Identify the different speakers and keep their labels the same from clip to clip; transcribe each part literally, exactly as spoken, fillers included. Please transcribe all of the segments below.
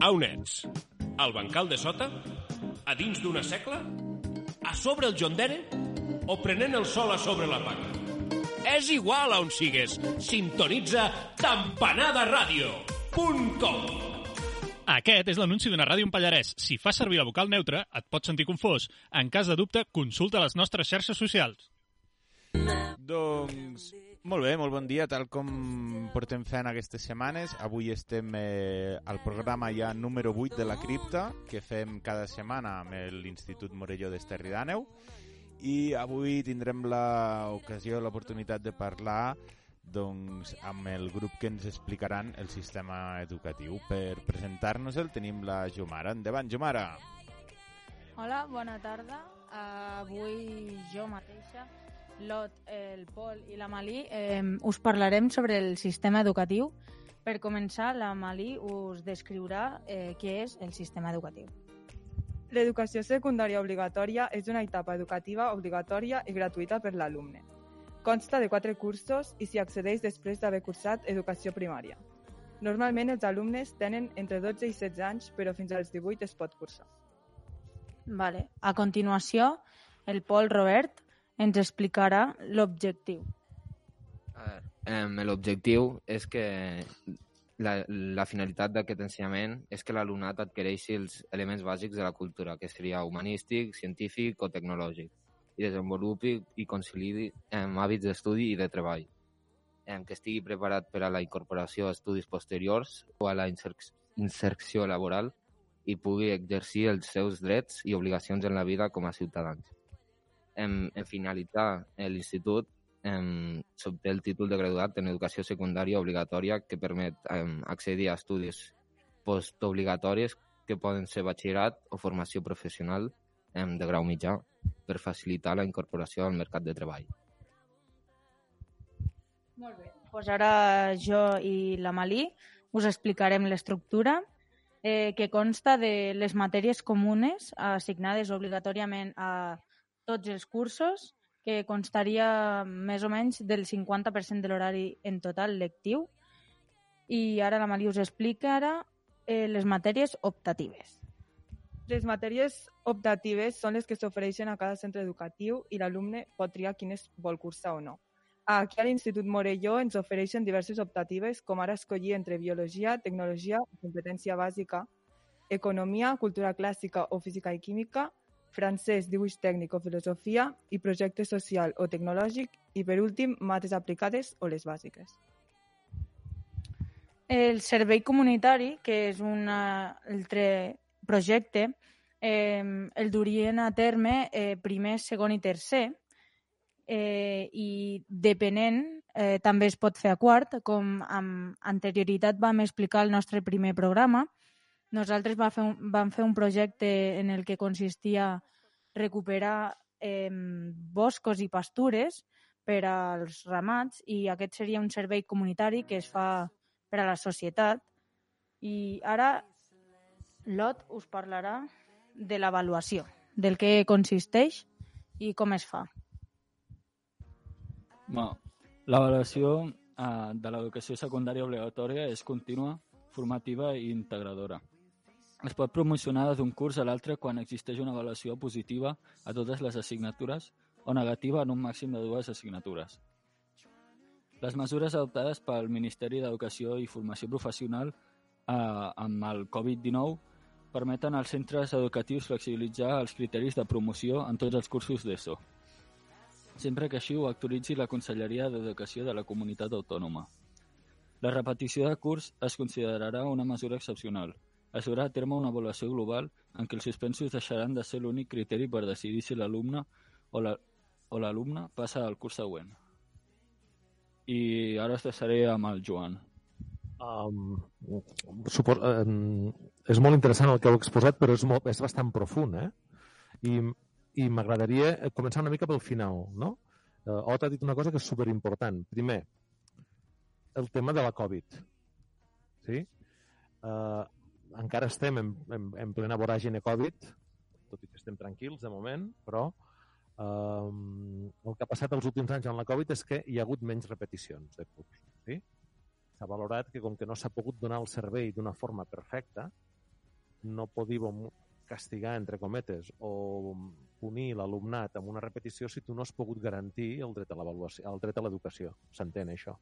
Speaker 1: A on ets? Al bancal de sota? A dins d'una secla? A sobre el jondere? O prenent el sol a sobre la paga? És igual a on sigues. Sintonitza campanada ràdio punt com.
Speaker 2: Aquest és l'anunci d'una ràdio en Pallarès. Si fas servir la vocal neutra, et pots sentir confós. En cas de dubte, consulta les nostres xarxes socials.
Speaker 3: Doncs, molt bé, molt bon dia, tal com portem fent aquestes setmanes. Avui estem eh, al programa ja número vuit de la cripta, que fem cada setmana amb l'Institut Morelló d'Esterri d'Àneu. I avui tindrem l'ocasió, l'oportunitat de parlar doncs, amb el grup que ens explicaran el sistema educatiu. Per presentar-nos-el tenim la Jomara. Endavant, Jomara.
Speaker 4: Hola, bona tarda. Uh, avui jo mateixa, l'Ot, el Pol i la Malí eh, us parlarem sobre el sistema educatiu. Per començar, la Malí us descriurà eh, què és el sistema educatiu.
Speaker 5: L'educació secundària obligatòria és una etapa educativa obligatòria i gratuïta per l'alumne. Consta de quatre cursos i s'hi accedeix després d'haver cursat educació primària. Normalment els alumnes tenen entre dotze i setze anys, però fins als divuit es pot cursar.
Speaker 4: Vale. A continuació, el Pol Robert ens explicarà l'objectiu.
Speaker 6: Eh, l'objectiu és que la, la finalitat d'aquest ensenyament és que l'alumnat adquireixi els elements bàsics de la cultura, que seria humanístic, científic o tecnològic, i desenvolupi i conciliï amb hàbits d'estudi i de treball, eh, que estigui preparat per a la incorporació a estudis posteriors o a la inserció laboral i pugui exercir els seus drets i obligacions en la vida com a ciutadans. En, en finalitzar l'institut, s'obté el títol de graduat en educació secundària obligatòria que permet em, accedir a estudis postobligatoris que poden ser batxillerat o formació professional em, de grau mitjà per facilitar la incorporació al mercat de treball.
Speaker 4: Molt bé. Pues ara jo i la Malí us explicarem l'estructura eh, que consta de les matèries comunes assignades obligatòriament a tots els cursos, que constaria més o menys del cinquanta per cent de l'horari en total lectiu. I ara la Malí us explicarà eh, les matèries optatives.
Speaker 5: Les matèries optatives són les que s'ofereixen a cada centre educatiu i l'alumne pot triar quines vol cursar o no. Aquí a l'Institut Morelló ens ofereixen diverses optatives, com ara escollir entre biologia, tecnologia, competència bàsica, economia, cultura clàssica o física i química, francès, dibuix tècnic o filosofia i projecte social o tecnològic i, per últim, mates aplicades o les bàsiques.
Speaker 4: El servei comunitari, que és un altre projecte, eh, el durien a terme eh, primer, segon i tercer eh, i depenent eh, també es pot fer a quart, com amb anterioritat vam explicar el nostre primer programa. Nosaltres va fer un, vam fer un projecte en el que consistia recuperar eh, boscos i pastures per als ramats i aquest seria un servei comunitari que es fa per a la societat. I ara l'Ot us parlarà de l'avaluació, del que consisteix i com es fa.
Speaker 7: Bueno, l'avaluació eh, de l'educació secundària obligatòria és contínua, formativa i integradora. Es pot promocionar d'un curs a l'altre quan existeix una avaluació positiva a totes les assignatures o negativa en un màxim de dues assignatures. Les mesures adoptades pel Ministeri d'Educació i Formació Professional eh, amb el covid dinou permeten als centres educatius flexibilitzar els criteris de promoció en tots els cursos d'ESO, sempre que així ho autoritzi la Conselleria d'Educació de la Comunitat Autònoma. La repetició de curs es considerarà una mesura excepcional. Es durà a terme una avaluació global en què els suspensos deixaran de ser l'únic criteri per decidir si l'alumne o la, o l'alumne passa al curs següent. I ara es deixaré amb el Joan.
Speaker 8: Um, supos, um, és molt interessant el que heu exposat, però és, molt, és bastant profund, eh? I, i m'agradaria començar una mica pel final, no? Uh, Ot ha dit una cosa que és superimportant. Primer, el tema de la Covid. Sí? Uh, encara estem en, en, en plena voràgine Covid, tot i que estem tranquils de moment, però um, el que ha passat els últims anys amb la Covid és que hi ha hagut menys repeticions de curs. Sí? S'ha valorat que com que no s'ha pogut donar el servei d'una forma perfecta, no podíem castigar, entre cometes, o punir l'alumnat amb una repetició si tu no has pogut garantir el dret a l'avaluació, el dret a l'educació. S'entén, això?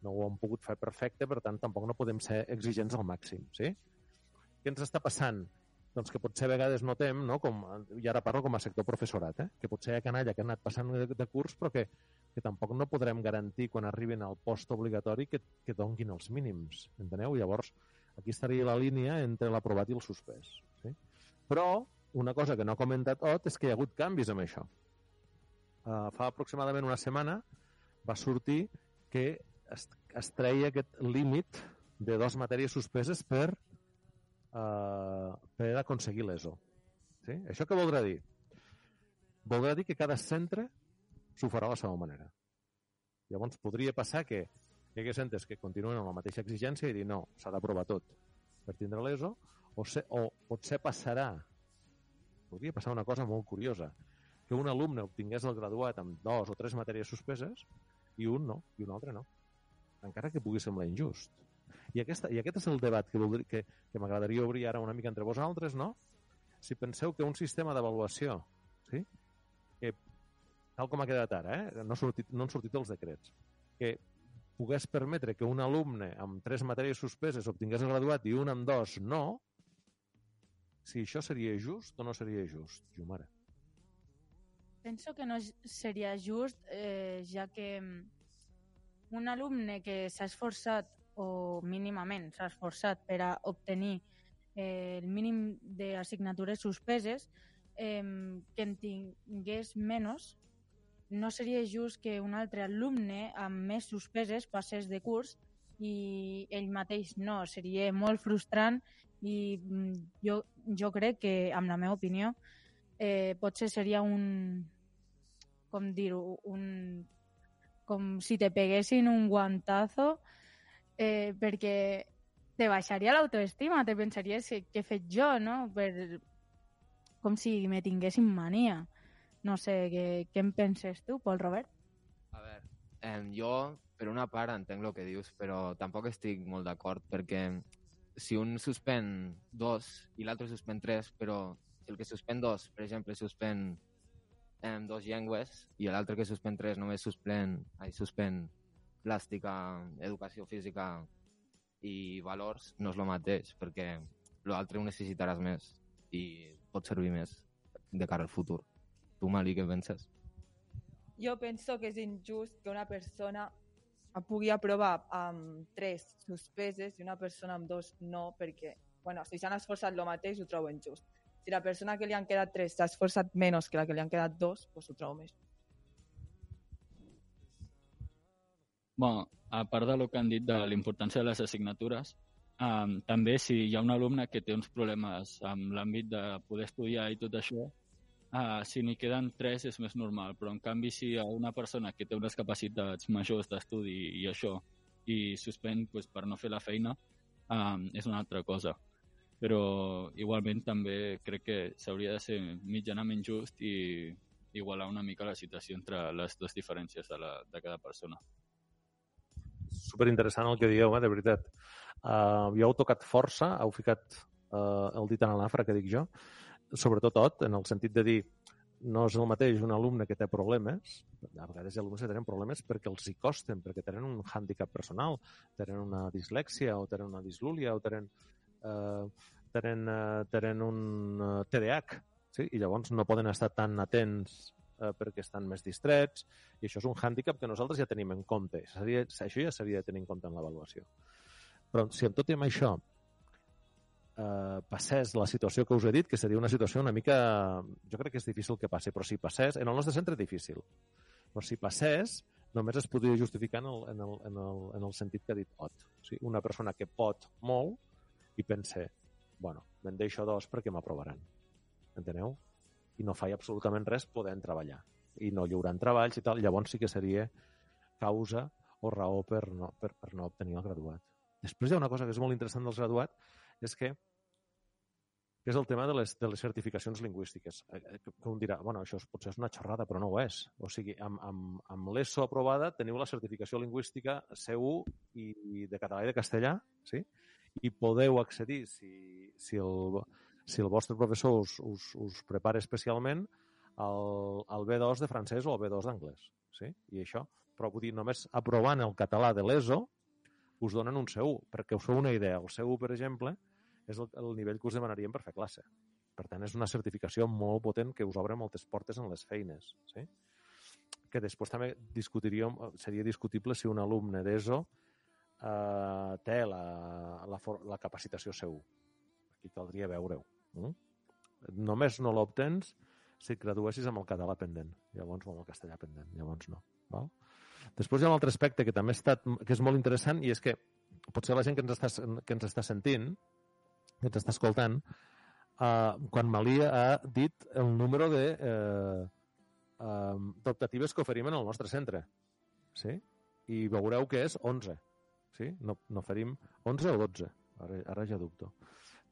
Speaker 8: No ho hem pogut fer perfecte, per tant, tampoc no podem ser exigents al màxim, sí? Què ens està passant? Doncs que potser a vegades notem, no? Com, i ara parlo com a sector professorat, eh? Que potser hi ha canalla que ha anat passant de, de curs, però que, que tampoc no podrem garantir quan arribin al postobligatori que, que donguin els mínims, enteneu? Llavors, aquí estaria la línia entre l'aprovat i el suspès, sí? Però una cosa que no ha comentat Ot és que hi ha hagut canvis amb això. Uh, fa aproximadament una setmana va sortir que es, es treia aquest límit de dues matèries suspeses per, uh, per aconseguir l'E S O. Sí? Això què voldrà dir? Voldrà dir que cada centre s'ho farà a la seva manera. Llavors podria passar que hi hagués centres que continuen amb la mateixa exigència i dir no, s'ha d'aprovar tot per tindre l'E S O, o, se, o potser passarà, podria passar una cosa molt curiosa, que un alumne obtingués el graduat amb dos o tres matèries suspeses i un no, i un altre no. Encara que pugui semblar injust. I, aquesta, i aquest és el debat que, voldria, que, que m'agradaria obrir ara una mica entre vosaltres, no? Si penseu que un sistema d'avaluació, sí? Que, tal com ha quedat ara, eh? no, ha sortit, no han sortit els decrets, que pogués permetre que un alumne amb tres matèries suspeses obtingués el graduat i un amb dos no, si això seria just o no seria just, Jumara?
Speaker 4: Penso que no seria just, eh, ja que un alumne que s'ha esforçat o mínimament s'ha esforçat per a obtenir eh, el mínim d'assignatures suspeses, eh, que en tingués menys, no seria just que un altre alumne amb més suspeses passés de curs i ell mateix no. Seria molt frustrant i jo, jo crec que, amb la meva opinió, eh, potser seria un, com dir-ho, un, com si te peguessin un guantazo, eh, perquè te baixaria l'autoestima, te pensaries que, que he fet jo, no? Per, com si me tinguessin mania. No sé, què, què en penses tu, Pol Robert?
Speaker 6: A veure, eh, jo, per una part, entenc el que dius, però tampoc estic molt d'acord, perquè si un suspèn dos i l'altre suspèn tres, però si el que suspèn dos, per exemple, suspèn eh, dos llengües i l'altre que suspèn tres només suspèn, ai, suspèn plàstica, educació física i valors, no és el mateix, perquè l'altre ho necessitaràs més i pot servir més de cara al futur. Tu, Mali, què penses?
Speaker 5: Jo penso que és injust que una persona pugui aprovar amb tres suspeses i una persona amb dos no, perquè, bueno, si s'han esforçat el mateix, ho trobo injust. Si la persona que li han quedat tres s'ha esforçat menys que la que li han quedat dos, doncs ho trobo més.
Speaker 7: Bueno, a part del que han dit de la importància de les assignatures, um, també si hi ha un alumne que té uns problemes amb l'àmbit de poder estudiar i tot això, Uh, si n'hi queden tres és més normal, però en canvi si hi ha una persona que té unes capacitats majors d'estudi i això, i suspèn pues, per no fer la feina, um, és una altra cosa. Però igualment també crec que s'hauria de ser mitjanament just i igualar una mica la situació entre les dues diferències de, la, de cada persona.
Speaker 8: Superinteressant el que dieu, eh, de veritat. Uh, jo heu tocat força, heu ficat uh, el dit en l'afra que dic jo, sobretot tot, en el sentit de dir no és el mateix un alumne que té problemes, a vegades hi ha alumnes que tenen problemes perquè els hi costen, perquè tenen un hàndicap personal, tenen una dislèxia o tenen una dislúlia o tenen, eh, tenen, eh, tenen un uh, T D A H, sí? I llavors no poden estar tan atents eh, perquè estan més distrets, i això és un hàndicap que nosaltres ja tenim en compte. Seria, això ja s'hauria de tenir en compte en l'avaluació. Però si amb tot i amb això Uh, passés la situació que us he dit, que seria una situació una mica... Jo crec que és difícil que passi, però si passés... En el nostre centre és difícil. Però si passés, només es podria justificar en el, en el, en el, en el sentit que ha dit Ot. O sigui, una persona que pot molt i pense, bueno, me'n deixo dos perquè m'aprovaran. Enteneu? I no faig absolutament res podent treballar. I no lliurant treballs i tal. Llavors sí que seria causa o raó per no, per, per no obtenir el graduat. Després hi ha una cosa que és molt interessant dels graduats, és que, que és el tema de les, de les certificacions lingüístiques. Que un dirà, bueno, això potser és una xerrada, però no ho és. O sigui, amb, amb, amb l'E S O aprovada teniu la certificació lingüística C u i, i de català i de castellà, sí? I podeu accedir, si, si, el, si el vostre professor us, us, us prepara especialment el, el B dos de francès o el B dos d'anglès. Sí? I això, però vull dir, només aprovant el català de l'ESO us donen un C u, perquè us feu una idea. El C u, per exemple, és el, el nivell que us demanaríem per fer classe. Per tant, és una certificació molt potent que us obre moltes portes en les feines. Sí? Que després també discutiríem, seria discutible si un alumne d'ESO eh, té la, la, la capacitació C u. Aquí caldria veure-ho. Mm? Només no l'obtens si et graduessis amb el català pendent. Llavors, o amb el castellà pendent. Llavors no. Val? Després hi ha un altre aspecte que també ha estat, que és molt interessant, i és que potser la gent que ens està, que ens està sentint, que ens està escoltant, Uh, quan Malí ha dit el número de uh, uh, d'optatives que oferim en el nostre centre. Sí? I veureu que és onze. Sí? No, no oferim onze o dotze. Ara, ara ja dubto.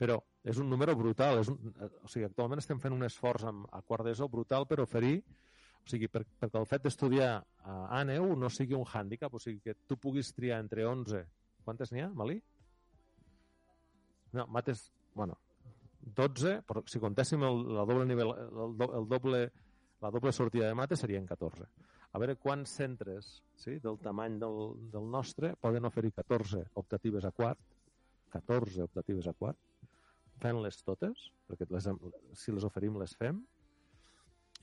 Speaker 8: Però és un número brutal. És un, o sigui, actualment estem fent un esforç amb, a quart d'ESO brutal per oferir, o sigui, per, perquè el fet d'estudiar a ANEU no sigui un hàndicap, o sigui, que tu puguis triar entre onze. Quantes n'hi ha, Malí? No, mates... Bueno, dotze, però si contéssim el, el doble nivell, el, el doble, la doble sortida de mates serien catorze. A veure quants centres, sí, del tamany del, del nostre poden oferir catorze optatives a quart, catorze optatives a quart, fent-les totes, perquè les, si les oferim les fem,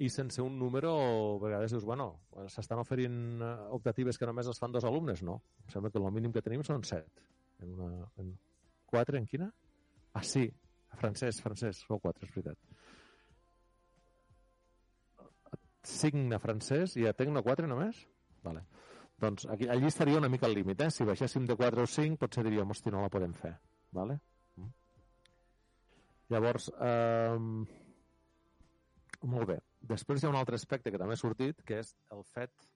Speaker 8: i sense un número, a vegades dius, bueno, s'estan oferint optatives que només les fan dos alumnes? No, em sembla que el mínim que tenim són set. En una, en quatre, en quina? Ah, sí, francès, francès, sou quatre, és veritat. cinc a francès i a Tecno quatre només? Vale. Doncs aquí, allí estaria una mica al límit, eh? Si baixéssim de quatre o cinc, potser diríem, hosti, no la podem fer. Vale? Mm. Llavors, eh, molt bé. Després hi ha un altre aspecte que també ha sortit, que és el fet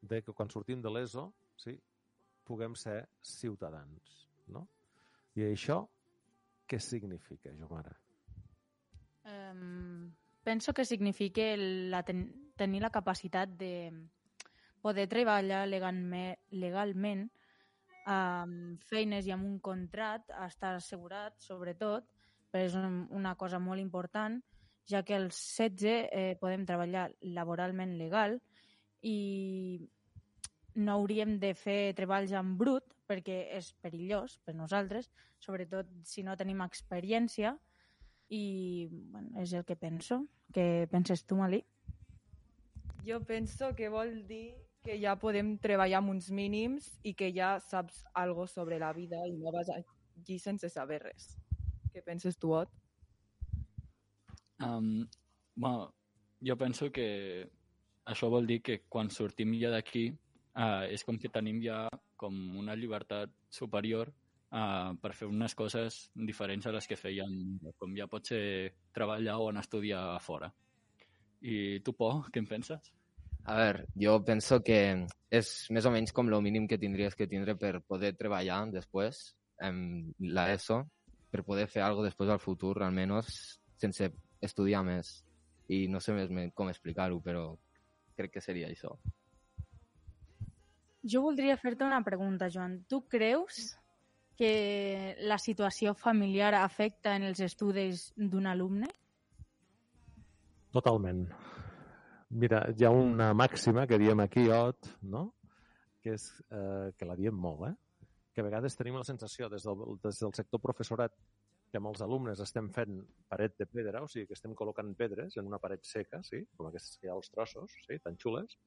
Speaker 8: de que quan sortim de l'ESO, sí, puguem ser ciutadans, no? I això què significa, Jomara?
Speaker 4: Um, penso que significa la ten tenir la capacitat de poder treballar legalment, legalment amb feines i amb un contracte, estar assegurat, sobretot, però és un, una cosa molt important, ja que als setze eh, podem treballar laboralment legal i no hauríem de fer treballs en brut perquè és perillós per nosaltres, sobretot si no tenim experiència, i bueno, és el que penso. Què penses tu, Malí?
Speaker 5: Jo penso que vol dir que ja podem treballar amb uns mínims i que ja saps algo sobre la vida i no vas allí sense saber res. Què penses tu, Ot?
Speaker 7: Um, bueno, jo penso que això vol dir que quan sortim ja d'aquí uh, és com que tenim ja com una llibertat superior uh, per fer unes coses diferents a les que feien, com ja pot ser treballar o anar a estudiar a fora. I tu, Po, què en penses?
Speaker 6: A veure, jo penso que és més o menys com el mínim que tindries que tindre per poder treballar després en l'ESO, per poder fer alguna cosa després al futur, almenys sense estudiar més. I no sé més com explicar-ho, però crec que seria això.
Speaker 4: Jo voldria fer-te una pregunta, Joan. Tu creus que la situació familiar afecta en els estudis d'un alumne?
Speaker 8: Totalment. Mira, hi ha una màxima que diem aquí, Ot, no? Que és eh, que la diem molt, eh? Que a vegades tenim la sensació des del, des del sector professorat que amb els alumnes estem fent paret de pedra, o sigui que estem col·locant pedres en una paret seca, sí? Com aquestes que hi ha als trossos, sí? Tan xules,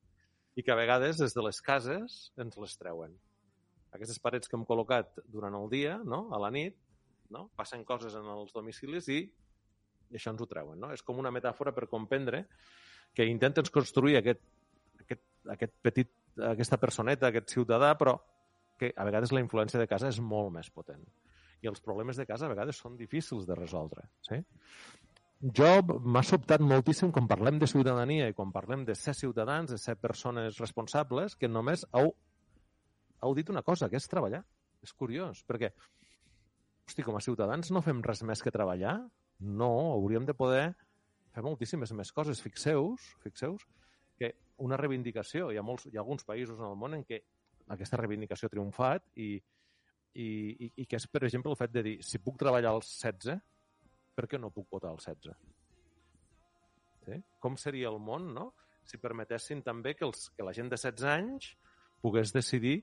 Speaker 8: i que a vegades des de les cases ens les treuen. Aquestes parets que hem col·locat durant el dia, no? A la nit, no? Passen coses en els domicilis i, i això ens ho treuen, no? És com una metàfora per comprendre que intenten construir aquest, aquest, aquest petit, aquesta personeta, aquest ciutadà, però que a vegades la influència de casa és molt més potent. I els problemes de casa a vegades són difícils de resoldre. Sí? Jo m'ha sobtat moltíssim quan parlem de ciutadania i quan parlem de ser ciutadans, de ser persones responsables, que només heu, heu dit una cosa, que és treballar. És curiós, perquè hosti, com a ciutadans no fem res més que treballar? No, hauríem de poder fer moltíssimes més coses. Fixeu-vos, fixeu-vos que una reivindicació, hi ha, molts, hi ha alguns països en el món en què aquesta reivindicació ha triomfat i i, i, i que és, per exemple, el fet de dir, si puc treballar als setze, per què no puc votar als setze? Sí? Com seria el món, no?, si permetessin també que, els, que la gent de setze anys pogués decidir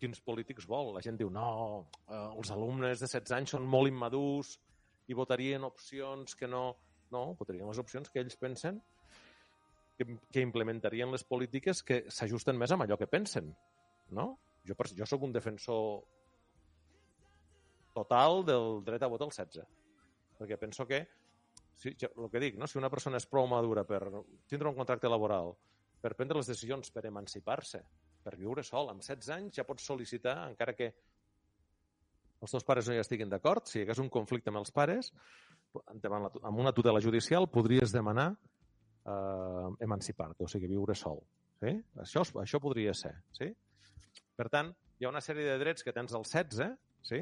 Speaker 8: quins polítics vol. La gent diu, no, eh, els alumnes de setze anys són molt immadurs i votarien opcions que no... No, votarien les opcions que ells pensen que, que implementarien les polítiques que s'ajusten més amb allò que pensen, no? Jo, jo sóc un defensor total del dret a vot als setze, perquè penso que si, el que dic, no? Si una persona és prou madura per tindre un contracte laboral, per prendre les decisions, per emancipar-se, per viure sol, amb setze anys ja pots sol·licitar, encara que els teus pares no hi estiguin d'acord, si hi hagués un conflicte amb els pares, amb una tutela judicial podries demanar eh, emancipar-te, o sigui, viure sol. Sí? Això, això podria ser. Sí? Per tant, hi ha una sèrie de drets que tens als setze, sí?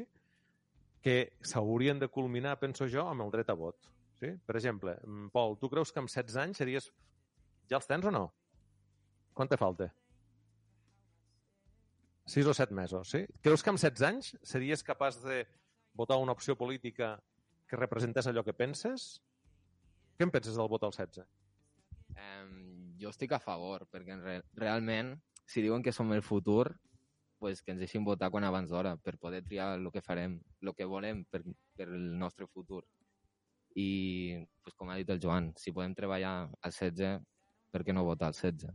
Speaker 8: Que s'haurien de culminar, penso jo, amb el dret a vot. Sí? Per exemple, Pol, tu creus que amb setze anys series... Ja els tens o no? Quant te falta? sis o set mesos, sí? Creus que amb setze anys series capaç de votar una opció política que representés allò que penses? Què en penses del vot als setze?
Speaker 6: Um, jo estic a favor, perquè re realment, si diuen que som el futur, pues que ens deixin votar quan abans d'hora, per poder triar el que farem, el que volem per, per el nostre futur. I, pues, com ha dit el Joan, si podem treballar als setze, per què no votar als setze?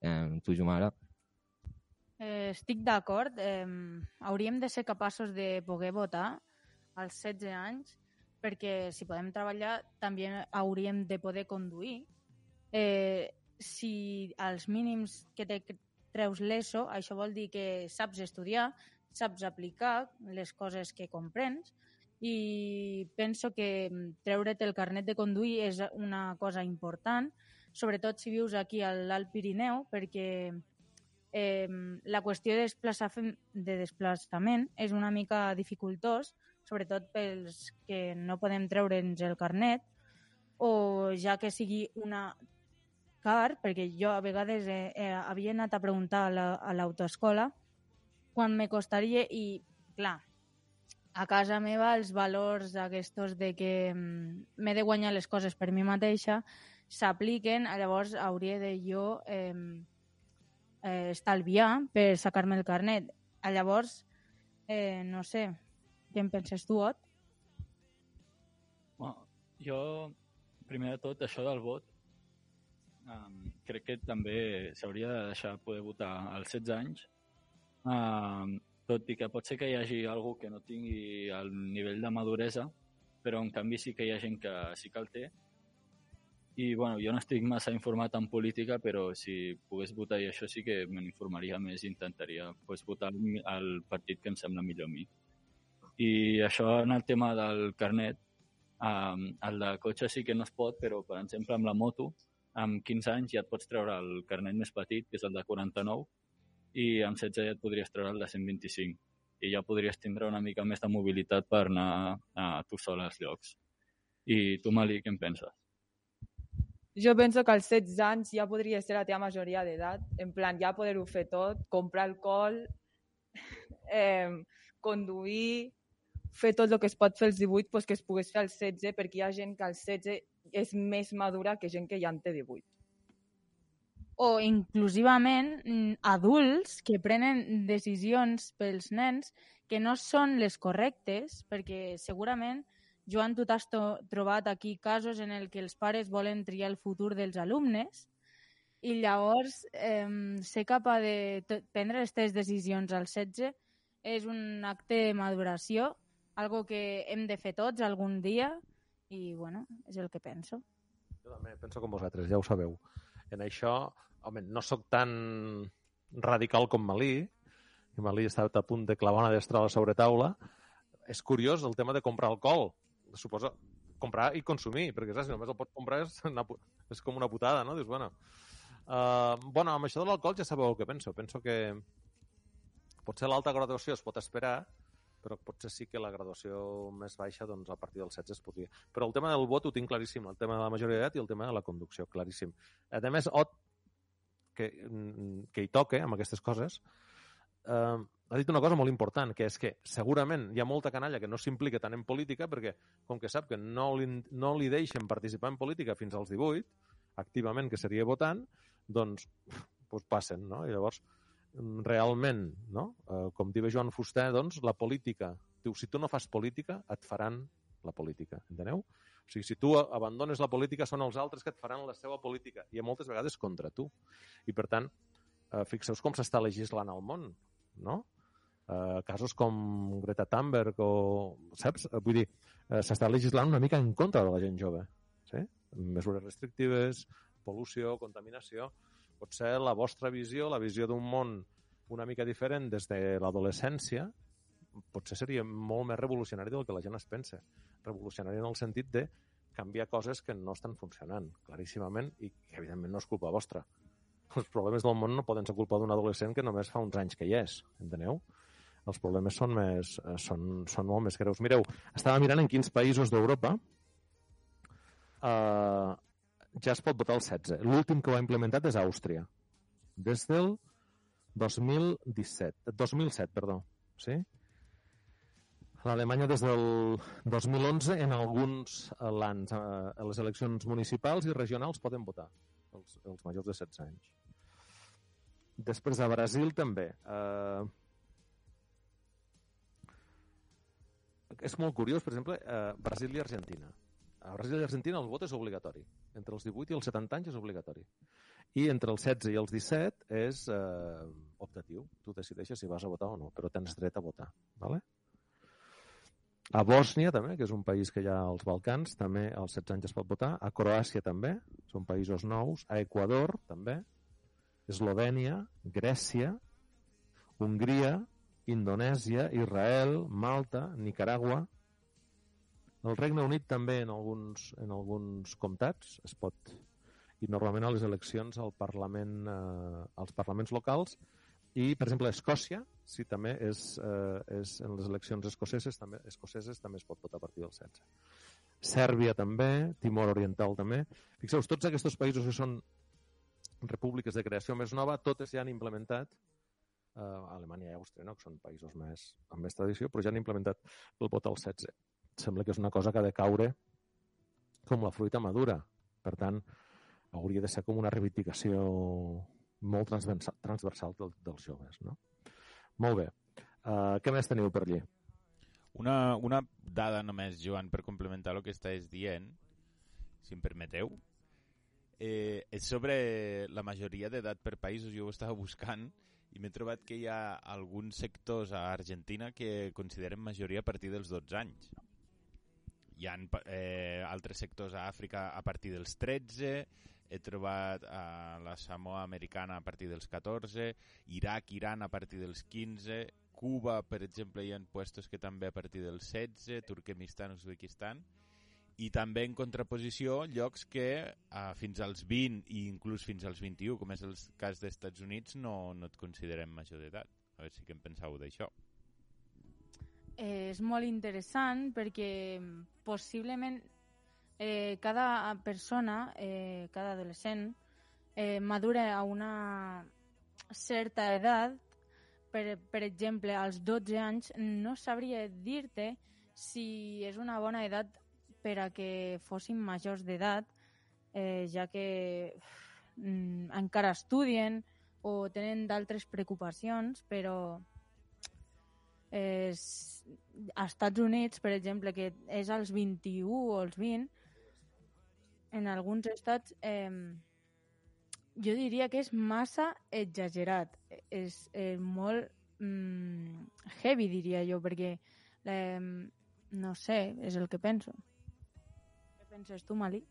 Speaker 6: Um, tu, Jumara?
Speaker 4: Eh, estic d'acord. Eh, hauríem de ser capaços de poder votar als setze anys, perquè si podem treballar també hauríem de poder conduir. Eh, si als mínims que te treus l'ESO, això vol dir que saps estudiar, saps aplicar les coses que comprens, i penso que treure't el carnet de conduir és una cosa important, sobretot si vius aquí a l'Alt Pirineu, perquè eh, la qüestió de, de desplaçament és una mica dificultós, sobretot pels que no podem treure'ns el carnet, o ja que sigui una car, perquè jo a vegades eh, eh, havia anat a preguntar a l'autoescola quan me costaria, i clar, a casa meva els valors aquests de que m'he de guanyar les coses per mi mateixa s'apliquen, llavors hauria de jo eh, eh, estalviar per sacar-me el carnet. Llavors, eh, no sé, què en penses tu, Ot?
Speaker 7: Bueno, jo, primer de tot, això del vot, um, crec que també s'hauria de deixar poder votar als setze anys, um, tot i que pot ser que hi hagi algú que no tingui el nivell de maduresa, però en canvi sí que hi ha gent que sí que el té. I bueno, jo no estic massa informat en política, però si pogués votar i això sí que me n'informaria més i intentaria pues, votar el partit que em sembla millor a mi. I això en el tema del carnet, um, el de cotxe sí que no es pot, però per exemple amb la moto, amb quinze anys ja et pots treure el carnet més petit, que és el de quaranta-nou, i amb setze ja et podries treure el de cent vint-i-cinc. I ja podries tindre una mica més de mobilitat per anar a tu sol als llocs. I tu, Mali, què en penses?
Speaker 5: Jo penso que als setze anys ja podria ser la teva majoria d'edat, en plan ja poder-ho fer tot, comprar alcohol, eh, conduir, fer tot el que es pot fer als divuit, pues que es pogués fer als setze, perquè hi ha gent que als setze és més madura que gent que ja en té divuit.
Speaker 4: O inclusivament adults que prenen decisions pels nens que no són les correctes, perquè segurament, Joan, tu t'has trobat aquí casos en el que els pares volen triar el futur dels alumnes i llavors eh, ser capaç de prendre aquestes decisions als setze és un acte de maduració, algo que hem de fer tots algun dia i, bueno, és el que penso.
Speaker 8: Jo també penso com vosaltres, ja ho sabeu. En això, home, no sóc tan radical com Malí, i Malí està a punt de clavar una destrada sobre taula. És curiós el tema de comprar alcohol. Suposa comprar i consumir, perquè saps, si només el pots comprar és, una, és com una putada, no? Dius, bueno, uh, bueno, amb això de l'alcohol ja sabeu el que penso. Penso que potser l'alta graduació es pot esperar, però potser sí que la graduació més baixa, doncs a partir dels setze es podria. Però el tema del vot ho tinc claríssim, el tema de la majoria d'edat i el tema de la conducció, claríssim. A més, Ot, que, que hi toque amb aquestes coses, uh, ha dit una cosa molt important, que és que segurament hi ha molta canalla que no s'implica tant en política perquè, com que sap que no li, no li deixen participar en política fins als divuit, activament, que seria votant, doncs, doncs passen, no? I llavors, realment, no? Eh, com diu Joan Fuster, doncs, la política, diu, si tu no fas política, et faran la política, enteneu? O sigui, si tu abandones la política, són els altres que et faran la seva política, i moltes vegades contra tu. I, per tant, eh, fixeu-vos com s'està legislant al món, no? Eh, casos com Greta Thunberg o, saps? Vull dir, eh, s'està legislant una mica en contra de la gent jove, sí? Mesures restrictives, pol·lució, contaminació. Potser la vostra visió, la visió d'un món una mica diferent des de l'adolescència, potser seria molt més revolucionari del que la gent es pensa. Revolucionari en el sentit de canviar coses que no estan funcionant, claríssimament, i que evidentment no és culpa vostra. Els problemes del món no poden ser culpa d'un adolescent que només fa uns anys que hi és, enteneu? Els problemes són, més, són, són molt més greus. Mireu, estava mirant en quins països d'Europa eh, ja es pot votar el setze. L'últim que ho ha implementat és Àustria. Des del dos mil disset. dos mil set, perdó. Sí? L'Alemanya des del dos mil onze en alguns lands, a les eleccions municipals i regionals poden votar els, els majors de setze anys. Després a Brasil també. Eh, és molt curiós, per exemple, eh, Brasil i Argentina. A Brasil i Argentina el vot és obligatori. Entre els divuit i els setanta anys és obligatori. I entre els setze i els disset és eh, optatiu. Tu decideixes si vas a votar o no, però tens dret a votar. Vale? A Bòsnia també, que és un país que hi ha als Balcans, també als setze anys es pot votar. A Croàcia també, són països nous. A Equador també. Eslovènia, Grècia, Hongria, Indonèsia, Israel, Malta, Nicaragua. El Regne Unit també en alguns, en alguns comtats es pot. I normalment a les eleccions al Parlament, eh, als parlaments locals. I, per exemple, a Escòcia, sí, també és, eh, és en les eleccions escoceses també, escoceses també es pot votar a partir del setze. Sèrbia també, Timor Oriental també. Fixeu-vos, tots aquests països que són repúbliques de creació més nova, totes ja han implementat, eh, Alemanya i Àustria, no? Que són països més, amb més tradició, però ja han implementat el vot al setze. Sembla que és una cosa que ha de caure com la fruita madura. Per tant, hauria de ser com una reivindicació molt transversal, transversal del, dels joves, no? Molt bé. Uh, què més teniu per allí?
Speaker 3: Una, una dada només, Joan, per complementar el que estàs dient, si em permeteu, eh, és sobre la majoria d'edat per països. Jo ho estava buscant i m'he trobat que hi ha alguns sectors a Argentina que consideren majoria a partir dels dotze anys. Hi ha eh, altres sectors a Àfrica a partir dels tretze, he trobat a la Samoa americana a partir dels catorze, Iraq, Iran a partir dels quinze, Cuba, per exemple, hi ha puestos que també a partir dels setze, Turkmenistan, Uzbekistan, i també en contraposició llocs que eh, fins als vint i inclús fins als vint-i-u, com és el cas dels Estats Units, no, no et considerem major d'edat. A veure si què en penseu d'això.
Speaker 4: Eh, és molt interessant perquè possiblement eh, cada persona, eh, cada adolescent, eh, madura a una certa edat. Per, per exemple, als dotze anys no sabria dir-te si és una bona edat per a que fossin majors d'edat, eh, ja que mm, encara estudien o tenen d'altres preocupacions, però eh, als Estats Units, per exemple, que és als vint-i-u o als vint, en alguns estats eh, jo diria que és massa exagerat. És eh, molt mm, heavy, diria jo, perquè eh, no sé, és el que penso. Què penses tu, Mali?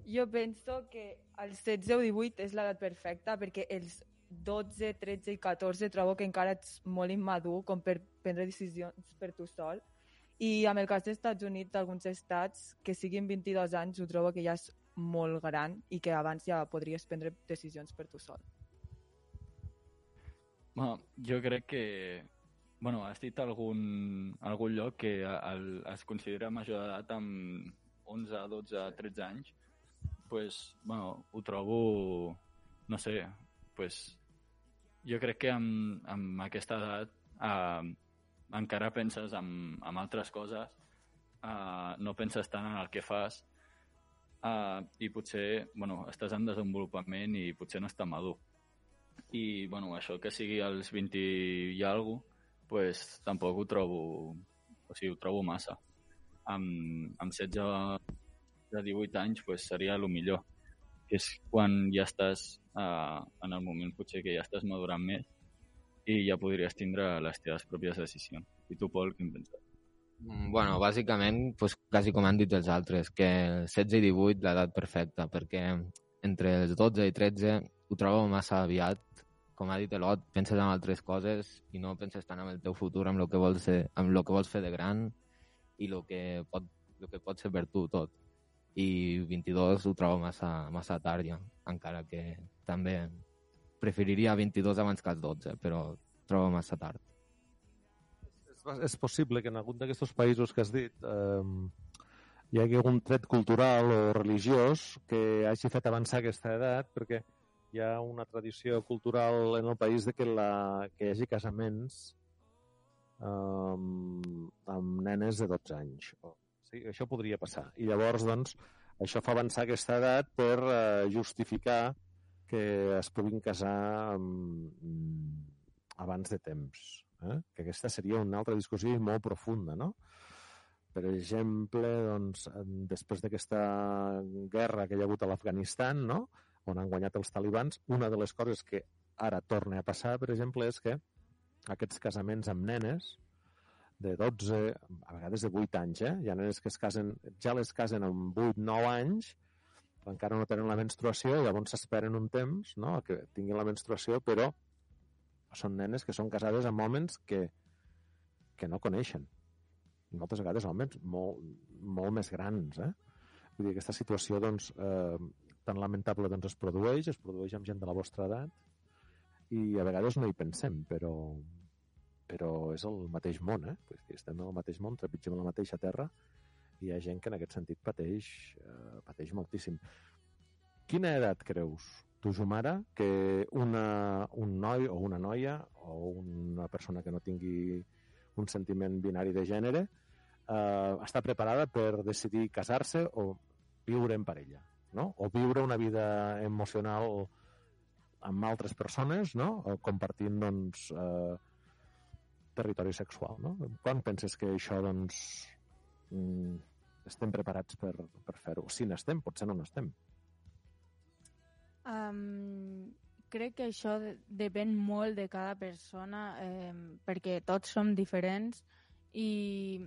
Speaker 5: Jo penso que el setze o divuit és l'edat perfecta, perquè els dotze, tretze i catorze trobo que encara ets molt immadur com per prendre decisions per tu sol. I amb el cas dels Estats Units, alguns estats que siguin vint-i-dos anys, ho trobo que ja és molt gran i que abans ja podries prendre decisions per tu sol.
Speaker 7: Bueno, jo crec que... Bueno, has dit algun, algun lloc que el, es considera major d'edat amb onze, dotze, tretze anys. Pues, bueno, ho trobo... No sé, pues... jo crec que amb, amb aquesta edat eh, encara penses en, en altres coses, eh, no penses tant en el que fas eh, i potser bueno, estàs en desenvolupament i potser no estàs madur. I bueno, això que sigui als vint i alguna cosa, pues, tampoc ho trobo, o sigui, ho trobo massa. Amb, amb setze de divuit anys pues, seria el millor, que és quan ja estàs eh, en el moment potser que ja estàs madurant més i ja podries tindre les teves pròpies decisions. I tu, Pol, què en penses?
Speaker 6: Bueno, bàsicament, pues, quasi com han dit els altres, que setze i divuit l'edat perfecta, perquè entre els dotze i tretze ho trobo massa aviat. Com ha dit l'Ot, penses en altres coses i no penses tant en el teu futur, en el que vols fer, en el que vols fer de gran i el que pot, el que pot ser per tu tot. I vint-i-dos ho trobo massa, massa tard ja, encara que també preferiria vint-i-dos abans que els dotze, però ho trobo massa tard.
Speaker 8: És, és possible que en algun d'aquests països que has dit eh, hi hagi algun tret cultural o religiós que hagi fet avançar aquesta edat, perquè hi ha una tradició cultural en el país de que, la, que hi hagi casaments um, amb nenes de dotze anys. Sí, això podria passar. I llavors, doncs, això fa avançar aquesta edat per uh, justificar que es puguin casar um, abans de temps. Eh? Que aquesta seria una altra discussió molt profunda, no? Per exemple, doncs, després d'aquesta guerra que hi ha hagut a l'Afganistan, no?, on han guanyat els talibans, una de les coses que ara torna a passar, per exemple, és que aquests casaments amb nenes de dotze, a vegades de vuit anys, eh? Hi ha nenes que es casen, ja les casen amb vuit nou anys, encara no tenen la menstruació, i llavors s'esperen un temps, no?, que tinguin la menstruació, però són nenes que són casades amb homes que, que no coneixen. I moltes vegades homes molt, molt més grans, eh? Vull dir, aquesta situació, doncs, eh, tan lamentable, doncs, es produeix, es produeix amb gent de la vostra edat, i a vegades no hi pensem, però, però és el mateix món, eh? Pues que estem en el mateix món, trepitgem la mateixa terra, i hi ha gent que en aquest sentit pateix, eh, pateix moltíssim. Quina edat creus, tu, Jumara, que una, un noi o una noia o una persona que no tingui un sentiment binari de gènere eh, està preparada per decidir casar-se o viure en parella, no? O viure una vida emocional amb altres persones, no? O compartint, doncs, eh, territori sexual, no? Quan penses que això, doncs, mm, estem preparats per, per fer-ho? Si n'estem, potser no n'estem.
Speaker 4: Um, crec que això de- depèn molt de cada persona, eh, perquè tots som diferents, i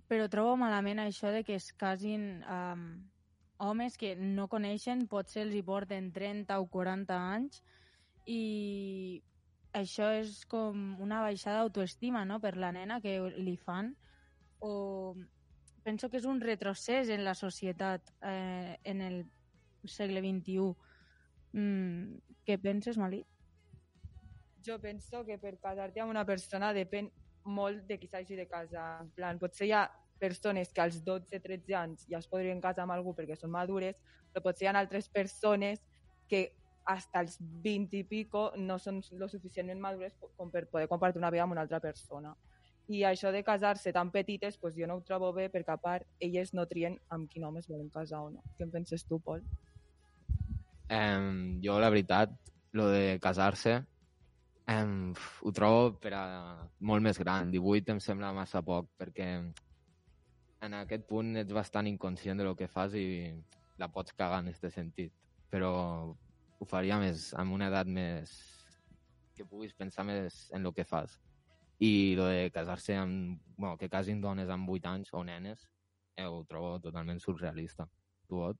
Speaker 4: però trobo malament això de que es casin um, homes que no coneixen, potser els hi porten trenta o quaranta anys, i això és com una baixada d'autoestima, no?, per la nena que li fan, o penso que és un retrocés en la societat eh, en el segle vint-i-u. Mm, què penses, Malí?
Speaker 5: Jo penso que per casar-te amb una persona depèn molt de qui s'hagi de casar. En plan, potser hi ha persones que als dotze tretze anys ja es podrien casar amb algú perquè són madures, però potser hi ha altres persones que hasta els vint i pico no són lo suficientment madures com per poder compartir una vida amb una altra persona. I això de casar-se tan petites, pues jo no ho trobo bé, perquè a part elles no trien amb quin home es volen casar o no. Què en penses tu, Pol?
Speaker 6: Eh, jo, la veritat, lo de casar-se eh, ho trobo per a molt més gran. divuit em sembla massa poc, perquè en aquest punt ets bastant inconscient de lo que fas i la pots cagar en aquest sentit. Però ho faria més amb una edat més que puguis pensar més en lo que fas. I lo de casar-se amb... Bueno, que casin dones amb vuit anys o nenes, eh, ho trobo totalment surrealista. Tu, Ot?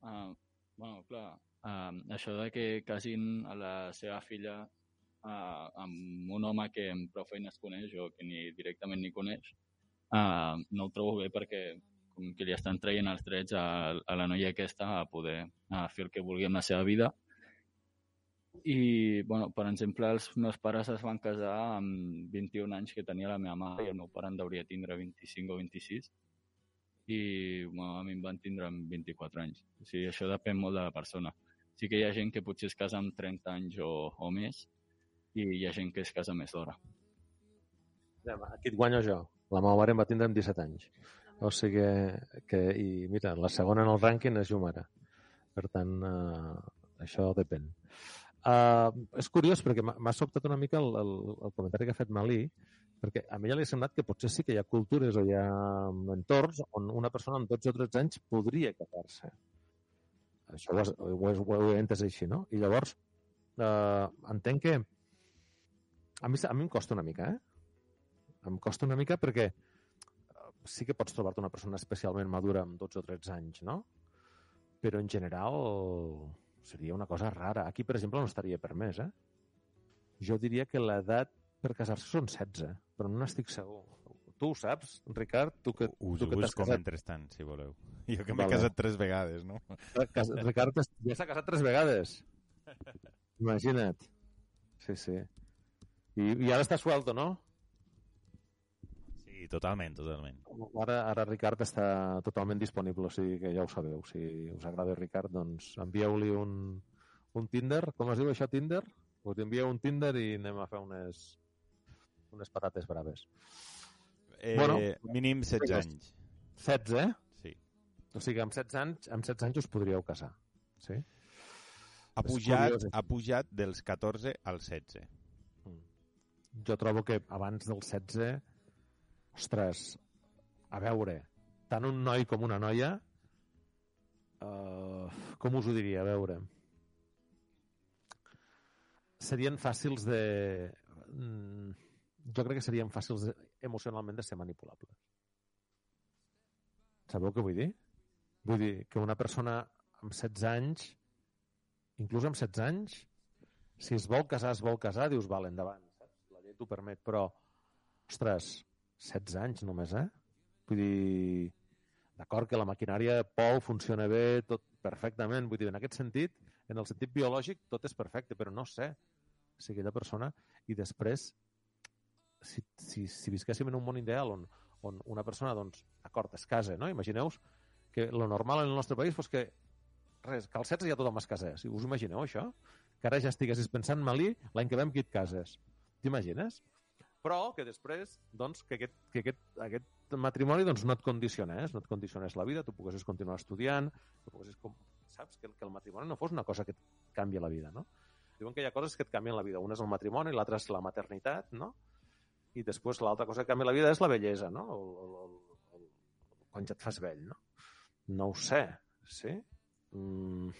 Speaker 7: Uh, bueno, clar, uh, això de que casin a la seva filla uh, amb un home que amb prou feines coneix o que ni directament ni coneix, uh, no ho trobo bé, perquè com que li estan traient els drets a, a la noia aquesta a poder a fer el que vulgui amb la seva vida. I, bueno, per exemple, els meus pares es van casar amb vint-i-un anys que tenia la meva mare, i el meu pare en hauria tindre vint-i-cinc o vint-i-sis, i bueno, a mi em van tindre amb vint-i-quatre anys. O sigui, això depèn molt de la persona. Sí que hi ha gent que potser es casa amb trenta anys o, o més i hi ha gent que es casa més d'hora.
Speaker 8: Aquí et guanyo jo. La meva mare em va tindre amb disset anys. O sigui que... I mira, la segona en el rànquing és jo mare. Per tant, uh, això depèn. Uh, és curiós perquè m'ha sobtat una mica el, el, el comentari que ha fet Malí, perquè a mi ja li ha semblat que potser sí que hi ha cultures o hi ha entorns on una persona amb dotze o tretze anys podria casar-se. Això ho, has, ho, he, ho he entès així, no? I llavors, uh, entenc que a mi, a mi em costa una mica, eh? Em costa una mica perquè sí que pots trobar-te una persona especialment madura amb dotze o tretze anys, no? Però en general seria una cosa rara. Aquí, per exemple, no estaria permès, eh? Jo diria que l'edat per casar-se són setze, però no n'estic segur. Tu ho saps, Ricard? Tu que,
Speaker 3: Us
Speaker 8: tu
Speaker 3: ho
Speaker 8: que t'has
Speaker 3: busco
Speaker 8: casat.
Speaker 3: mentrestant, si voleu. Jo que m'he
Speaker 8: Vale.
Speaker 3: casat tres vegades, no?
Speaker 8: Ricard ja s'ha casat tres vegades. Imagina't. Sí, sí. I, i ara està suelto, no?
Speaker 3: Sí, totalment, totalment.
Speaker 8: Ara, ara Ricard està totalment disponible, o sigui que ja ho sabeu. Si us agrada Ricard, doncs envieu-li un, un Tinder. Com es diu això, Tinder? Us envieu un Tinder i anem a fer unes, unes patates braves.
Speaker 3: Eh,
Speaker 8: Bueno,
Speaker 3: mínim setze anys.
Speaker 8: setze, eh?
Speaker 3: Sí.
Speaker 8: O sigui, amb setze anys, amb setze anys us podríeu casar. Sí?
Speaker 3: Ha
Speaker 8: És
Speaker 3: pujat,
Speaker 8: curiós,
Speaker 3: ha pujat dels catorze als setze.
Speaker 8: Jo trobo que abans del setze, ostres, a veure, tant un noi com una noia, uh, com us ho diria, a veure, serien fàcils de... Mm, jo crec que serien fàcils de, emocionalment de ser manipulables. Sabeu què vull dir? Vull dir que una persona amb setze anys, inclús amb setze anys, si es vol casar, es vol casar, dius, val, endavant, saps? La llei t'ho permet, però, ostres, setze anys només, eh? Vull dir, d'acord que la maquinària Pou funciona bé, tot perfectament, vull dir, en aquest sentit, en el sentit biològic, tot és perfecte, però no sé si aquella persona, i després, si, si, si visquéssim en un món ideal on, on una persona, doncs, d'acord, es casa, no? Imagineu-vos que lo normal en el nostre país fos que res, que als setze ja tothom es casés. Us imagineu, això? Que ara ja estiguessis pensant, Malí, l'any que ve amb qui et cases. T'imagines? Però que després, doncs, que aquest, que aquest, aquest matrimoni doncs, no et condicionés, no et condicionés la vida, tu poguessis continuar estudiant, tu poguessis, com, saps, que, que el matrimoni no fos una cosa que et canvia la vida, no? Diuen que hi ha coses que et canvien la vida. Una és el matrimoni, l'altra és la maternitat, no? I després l'altra cosa que canvia la vida és la bellesa, no? O, o, o, o, quan ja et fas vell, no? No ho sé, sí? Mm,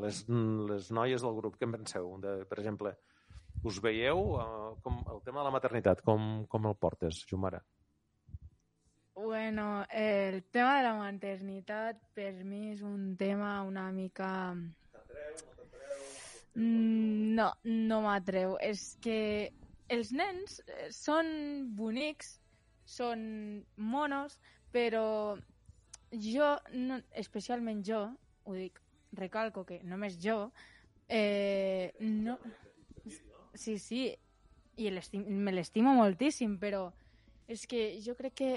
Speaker 8: les, les noies del grup, què en penseu? De, per exemple, us veieu uh, com el tema de la maternitat, com, com el portes, Jumara?
Speaker 4: Bueno, el tema de la maternitat per mi és un tema una mica... No, no m'atreu. És que els nens són bonics, són monos, però jo, no, especialment jo, ho dic, recalco que només jo, eh, no... Sí, sí, i me l'estimo moltíssim, però és que jo crec que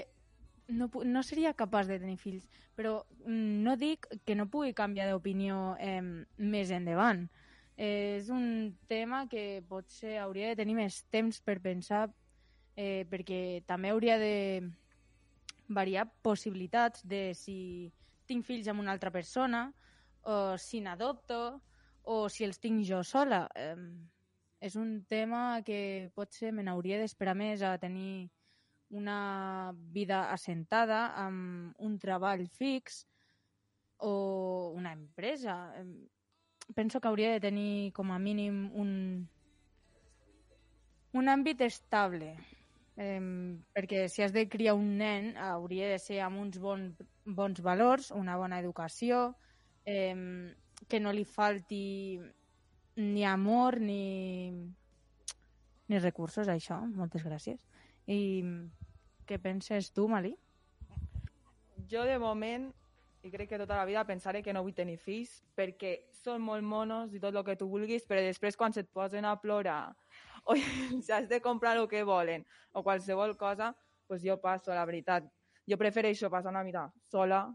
Speaker 4: no, no seria capaç de tenir fills, però no dic que no pugui canviar d'opinió eh, més endavant. Eh, és un tema que potser hauria de tenir més temps per pensar, eh, perquè també hauria de variar possibilitats de si tinc fills amb una altra persona, o si n'adopto, o si els tinc jo sola. Eh, és un tema que potser me n'hauria d'esperar més a tenir una vida assentada amb un treball fix o una empresa. Penso que hauria de tenir com a mínim un, un àmbit estable, eh, perquè si has de criar un nen hauria de ser amb uns bon, bons valors, una bona educació, eh, que no li falti ni amor ni, ni recursos, això. Moltes gràcies. I què penses tu, Malí?
Speaker 5: Jo, de moment, i crec que tota la vida pensaré que no vull tenir fills perquè són molt monos i tot el que tu vulguis, però després quan se't posen a plorar o si has de comprar el que volen o qualsevol cosa, pues jo passo, la veritat. Jo prefereixo passar una vida sola,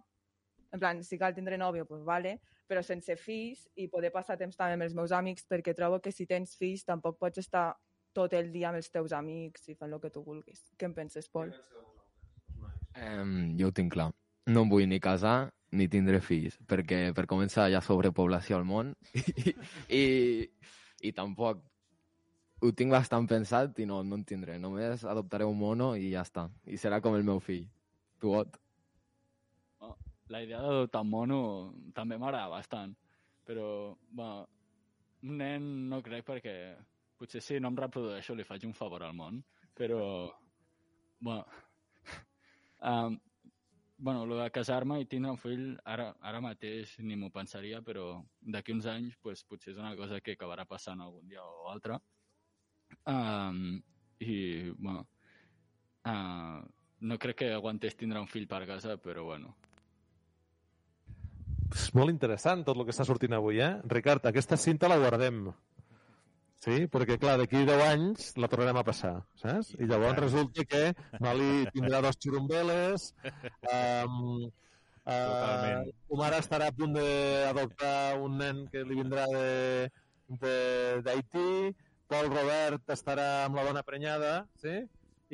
Speaker 5: en plan, si cal tindre nòvio, pues vale, però sense fills, i poder passar temps també amb els meus amics, perquè trobo que si tens fills tampoc pots estar tot el dia amb els teus amics i fent el que tu vulguis. Què en penses, Pol?
Speaker 6: Um, jo ho tinc clar. No em vull ni casar ni tindre fills, perquè per començar hi ha sobrepoblació al món i, i, i tampoc ho tinc bastant pensat i no, no en tindré. Només adoptaré un mono i ja està. I serà com el meu fill. Tu, Ot?
Speaker 7: Oh, la idea d'adoptar un mono també m'agrada bastant, però bueno, un nen no crec perquè potser si no em reprodueixo li faig un favor al món, però bueno, um, bueno, lo de casar-me i tindre un fill ara, ara mateix ni m'ho pensaria, però d'aquí uns anys pues, potser és una cosa que acabarà passant algun dia o altre. Um, I bueno, uh, no crec que aguantés tindre un fill per casa, però bueno.
Speaker 8: És molt interessant tot el que està sortint avui, eh? Ricard, aquesta cinta la guardem. Sí? Perquè, clar, d'aquí deu anys la tornarem a passar, saps? I llavors resulta que Mali tindrà dos xurumbeles, um, uh, la mare estarà a punt d'adoptar un nen que li vindrà d'Haití, Pol Robert estarà amb la dona prenyada, sí?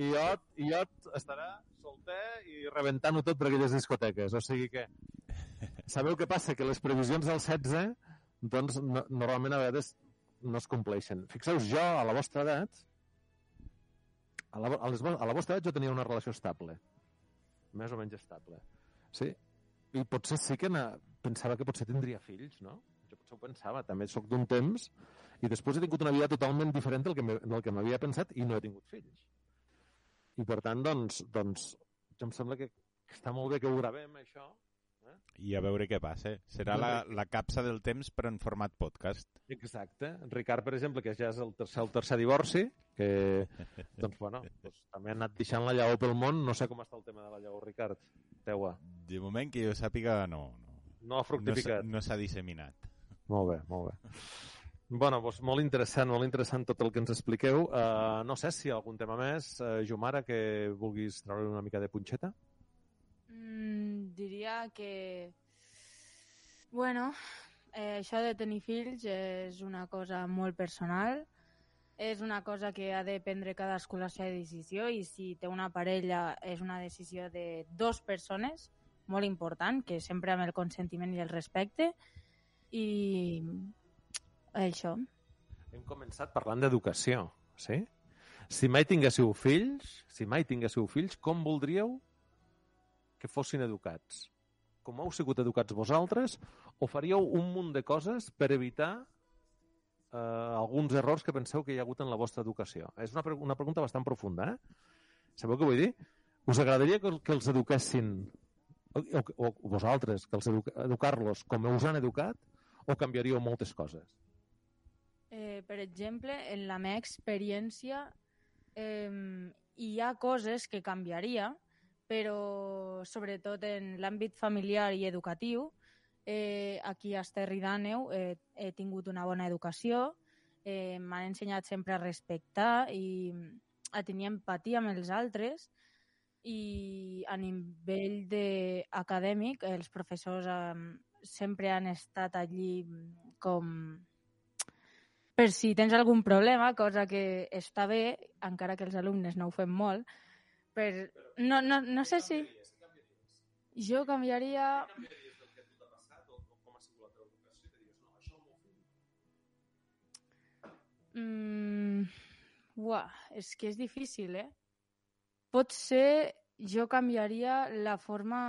Speaker 8: I Ot, i Ot estarà solter i rebentant-ho tot per aquelles discoteques. O sigui que sabeu què passa? Que les previsions del setze doncs, no, normalment a vegades no es compleixen. Fixeu-vos, jo, a la vostra edat, a la, a, les, a la vostra edat jo tenia una relació estable. Més o menys estable. Sí? I potser sí que na, pensava que potser tindria fills, no? Jo potser ho pensava. També soc d'un temps i després he tingut una vida totalment diferent del que, del que m'havia pensat i no he tingut fills. I per tant, doncs, doncs jo em sembla que està molt bé que ho gravem, això. Eh?
Speaker 3: I a veure què passa. Serà la, la capsa del temps però en format podcast.
Speaker 8: Exacte. Ricard, per exemple, que ja és el tercer, el tercer divorci, que doncs, bueno, doncs, també ha anat deixant la llaor pel món. No sé com està el tema de la llaor, Ricard. Teua.
Speaker 3: De moment que jo sàpiga, no. No,
Speaker 8: no ha fructificat.
Speaker 3: No s'ha disseminat.
Speaker 8: Molt bé, molt bé. Bueno, doncs molt interessant, molt interessant tot el que ens expliqueu. Uh, no sé si algun tema més, uh, Jomara, que vulguis treure una mica de punxeta?
Speaker 4: Mm, diria que, bueno, eh, això de tenir fills és una cosa molt personal, és una cosa que ha de prendre cadascú la seva decisió i si té una parella és una decisió de dues persones, molt important, que sempre amb el consentiment i el respecte i això.
Speaker 8: Hem començat parlant d'educació, sí? Si mai tinguéssiu fills, si mai tinguéssiu fills, com voldríeu que fossin educats? Com heu sigut educats vosaltres? O faríeu un munt de coses per evitar eh, alguns errors que penseu que hi ha hagut en la vostra educació? És una, una pregunta bastant profunda, eh? Sabeu què vull dir? Us agradaria que, que els eduquessin, o, o, o vosaltres, que els educa, educar-los com us han educat, o canviaríeu moltes coses?
Speaker 4: Eh, per exemple, en la meva experiència eh, hi ha coses que canviaria, però sobretot en l'àmbit familiar i educatiu, eh, aquí a Esterri d'Àneu eh, he tingut una bona educació, eh, m'han ensenyat sempre a respectar i a tenir empatia amb els altres i a nivell de acadèmic els professors eh, sempre han estat allí com per si tens algun problema, cosa que està bé, encara que els alumnes no ho fem molt. Per... No, no, no sé si... Jo canviaria... Mm, uah, és que és difícil, eh? Potser jo canviaria la forma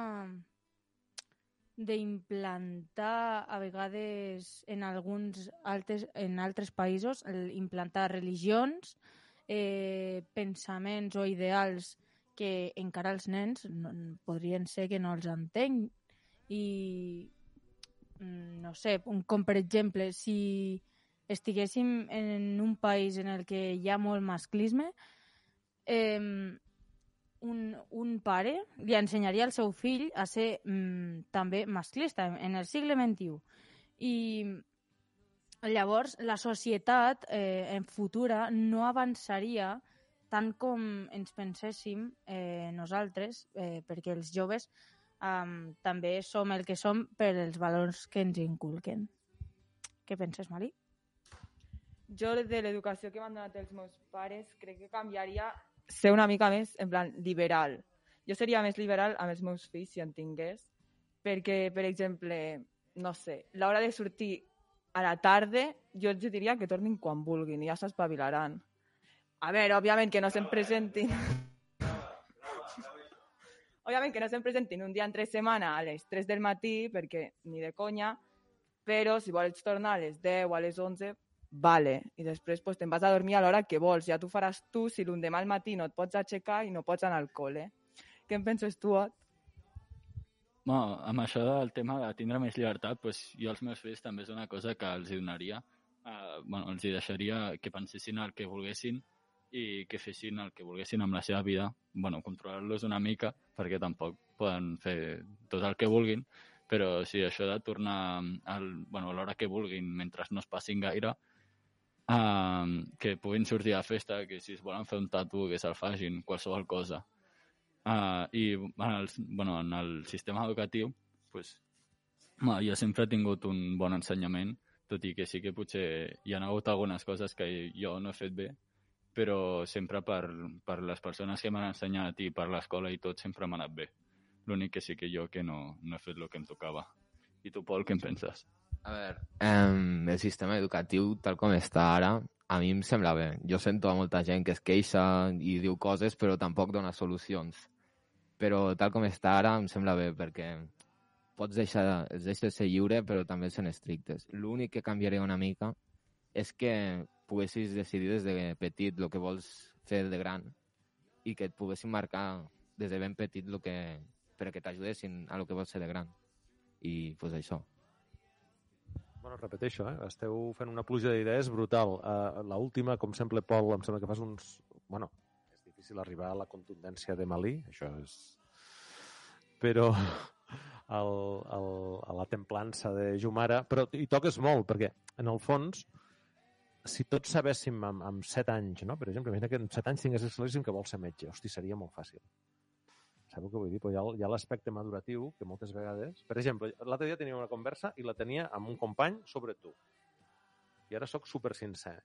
Speaker 4: d'implantar a vegades en alguns altres, en altres països, implantar religions, eh, pensaments o ideals que encara els nens no, podrien ser que no els entenc i no sé, com per exemple si estiguéssim en un país en el que hi ha molt masclisme, eh, Un, un pare li ensenyaria al seu fill a ser mm, també masclista en el segle vint-i-u. I llavors la societat eh, en futura no avançaria tant com ens penséssim eh, nosaltres, eh, perquè els joves um, també som el que som per els valors que ens inculquen. Què penses, Mali?
Speaker 5: Jo, de l'educació que m'han donat els meus pares, crec que canviaria ser una mica més, en plan, liberal. Jo seria més liberal amb els meus fills, si en tingués, perquè, per exemple, no sé, l'hora de sortir a la tarda, jo els diria que tornin quan vulguin i ja s'espavilaran. A veure, òbviament que no se'n presentin... òbviament que no se'n presentin un dia entre setmana a les tres del matí, perquè ni de conya, però si vols tornar a les deu o a les onze, vale. I després pues, te'n vas a dormir a l'hora que vols. Ja t'ho faràs tu si l'endemà al matí no et pots aixecar i no pots anar al col·le. Què en penses tu, Ot?
Speaker 7: Bueno, amb això del tema de tindre més llibertat, pues, jo als meus fills també és una cosa que els donaria. Uh, bueno, els deixaria que pensessin el que volguessin i que fessin el que volguessin amb la seva vida. Bueno, controlar-los una mica, perquè tampoc poden fer tot el que vulguin, però sí, això de tornar al, bueno, a l'hora que vulguin, mentre no es passin gaire, uh, que puguin sortir a festa, que si es volen fer un tatu, que se'l facin, qualsevol cosa. Uh, I en el, bueno, en el sistema educatiu, pues, bueno, jo sempre he tingut un bon ensenyament, tot i que sí que potser hi ha hagut algunes coses que jo no he fet bé, però sempre per, per les persones que m'han ensenyat i per l'escola i tot sempre m'ha anat bé. L'únic que sí que jo que no, no he fet el que em tocava. I tu, Pol, què en penses?
Speaker 6: A veure, eh, el sistema educatiu, tal com està ara, a mi em sembla bé. Jo sento a molta gent que es queixa i diu coses, però tampoc dona solucions. Però tal com està ara em sembla bé, perquè pots deixar, els deixes ser lliure, però també són estrictes. L'únic que canviaria una mica és que poguessis decidir des de petit el que vols fer de gran i que et poguessin marcar des de ben petit lo que, perquè t'ajudessin a lo que vols ser de gran. I, pues, això.
Speaker 8: Bueno, repeteixo, eh? Esteu fent una pluja d'idees brutal. Uh, L'última, com sempre, Pol, em sembla que fas uns... Bueno, és difícil arribar a la contundència de Malí, això és... Però el, el, a la templança de Jumara... Però hi toques molt, perquè, en el fons, si tots sabéssim amb, amb set anys, no? Per exemple, imagina que en set anys tingués claríssim que vol ser metge. Hosti, seria molt fàcil. Sabeu què vull dir? Però hi ha, hi ha l'aspecte maduratiu que moltes vegades... Per exemple, l'altre dia tenia una conversa i la tenia amb un company sobre tu. I ara sóc super sincer.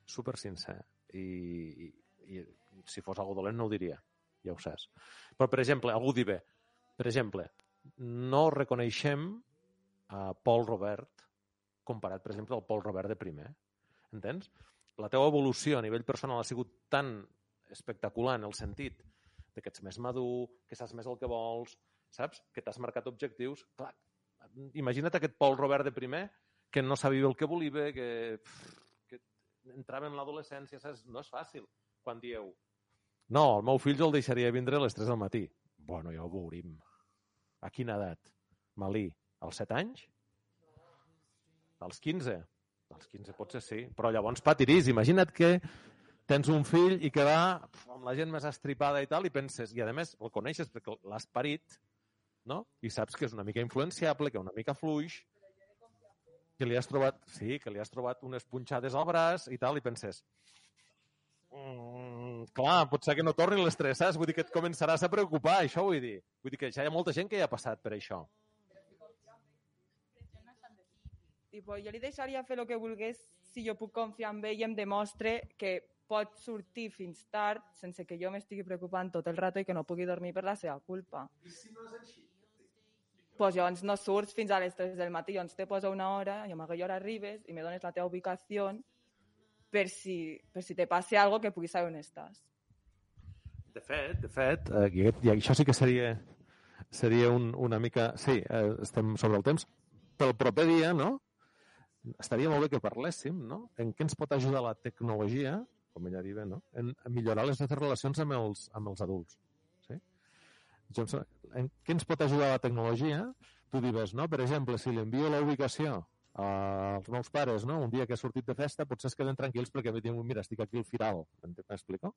Speaker 8: Super sincer. I, i, i si fos algo dolent no ho diria. Ja ho saps. Però, per exemple, algú dir bé. Per exemple, no reconeixem a Pol Robert comparat, per exemple, al Pol Robert de primer. Entens? La teva evolució a nivell personal ha sigut tan espectacular en el sentit de que ets més madur, que saps més el que vols, saps? Que t'has marcat objectius. Clar, imagina't aquest Pol Robert de primer que no sabia el que volia, que, que entrava en l'adolescència, saps? No és fàcil quan dieu no, el meu fill jo el deixaria vindre a les tres del matí. Bueno, ja ho veurim. A quina edat? Malí, als set anys? Als quinze? Als quinze potser sí, però llavors patirís. Imagina't que tens un fill i que va amb la gent més estripada i tal, i penses, i a més el coneixes perquè l'has parit, no? I saps que és una mica influenciable, que una mica fluix, que li has trobat, sí, que li has trobat unes punxades al braç i tal, i penses, mm, clar, pot ser que no torni l'estrès, saps? Vull dir que et començaràs a preocupar, això vull dir. Vull dir que ja hi ha molta gent que ja ha passat per això.
Speaker 5: Tipo, jo li deixaria fer el que volgués si jo puc confiar en ell i em demostre que pot sortir fins tard sense que jo m'estigui preocupant tot el rato i que no pugui dormir per la seva culpa. I si no és així? Pues llavors no surts fins a les tres del matí, llavors te posa una hora i amb aquella hora arribes i me dones la teva ubicació per si, per si te passi alguna cosa que puguis saber on estàs.
Speaker 8: De fet, de fet, eh, i, i això sí que seria, seria un, una mica... Sí, eh, estem sobre el temps. Pel proper dia, no? Estaria molt bé que parléssim, no? En què ens pot ajudar la tecnologia, com ella diu, no? En, en millorar les nostres relacions amb els, amb els adults. Sí? En què ens pot ajudar la tecnologia? Tu dius, no? Per exemple, si li envio la ubicació als meus pares, no? Un dia que he sortit de festa, potser es queden tranquils perquè em diuen, mira, estic aquí al Firal. M'explico?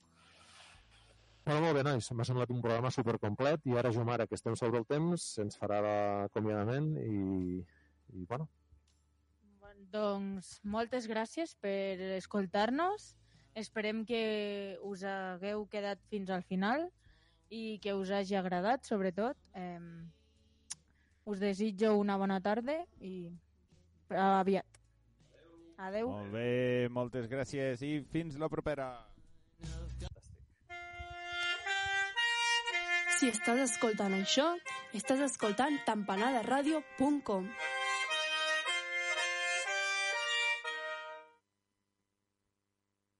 Speaker 8: Bueno, molt bé, nois. M'ha semblat un programa supercomplet i ara, Jomara, que estem sobre el temps, ens farà l'acomiadament i, i bueno,
Speaker 4: doncs moltes gràcies per escoltar-nos. Esperem que us hagueu quedat fins al final i que us hagi agradat, sobretot. Eh, us desitjo una bona tarda i aviat. Adeu.
Speaker 3: Molt bé, moltes gràcies i fins la propera.
Speaker 9: Si estàs escoltant això, estàs escoltant tampanada radio punt com.